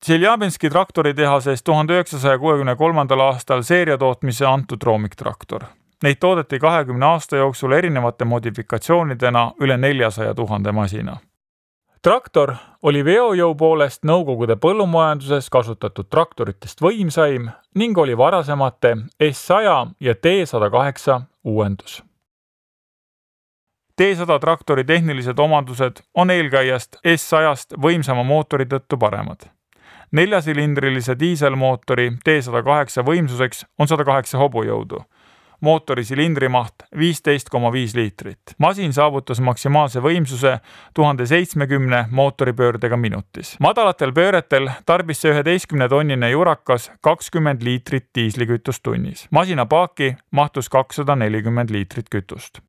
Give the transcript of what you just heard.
Tšeljabinski traktoritehases 1963. aastal seeriatootmise antud roomiktraktor. Neid toodeti 20 aasta jooksul erinevate modifikatsioonidena üle 400 000 masina. Traktor oli veojõu poolest Nõukogude põllumajanduses kasutatud traktoritest võimsaim ning oli varasemate S100 ja T108 uuendus. T100 traktori tehnilised omandused on eelkäijast S100-st võimsama mootori tõttu paremad. 4-silindrilise diiselmootori T108 võimsuseks on 108 hobujõudu. Mootori silindrimaht 15,5 liitrit. Masin saavutas maksimaalse võimsuse 1070 mootoripöördega minutis. Madalatel pööretel tarbis see 11-tonnine jurakas 20 liitrit diislikütust tunnis. Masina paaki mahtus 240 liitrit kütust.